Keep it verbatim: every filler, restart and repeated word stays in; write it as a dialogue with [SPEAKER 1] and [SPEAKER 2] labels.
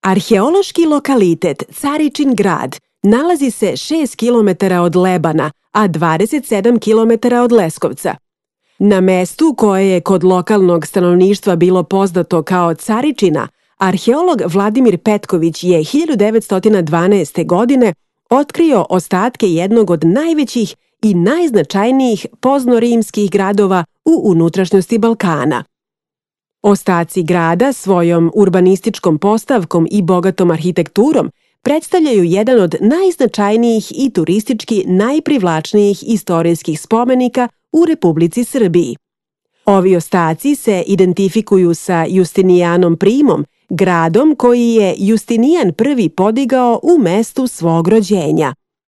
[SPEAKER 1] Arheološki lokalitet Caričin grad nalazi se šest kilometara od Lebana, a dvadeset sedam kilometara od Leskovca. Na mestu koje je kod lokalnog stanovništva bilo poznato kao Caričina, arheolog Vladimir Petković je hiljadu devetsto dvanaeste. godine otkrio ostatke jednog od najvećih i najznačajnijih poznorimskih gradova u unutrašnjosti Balkana. Ostaci grada svojom urbanističkom postavkom i bogatom arhitekturom predstavljaju jedan od najznačajnijih i turistički najprivlačnijih istorijskih spomenika u Republici Srbiji. Ovi ostaci se identifikuju sa Justinijanom Primom, gradom koji je Justinijan prvi podigao u mestu svog rođenja.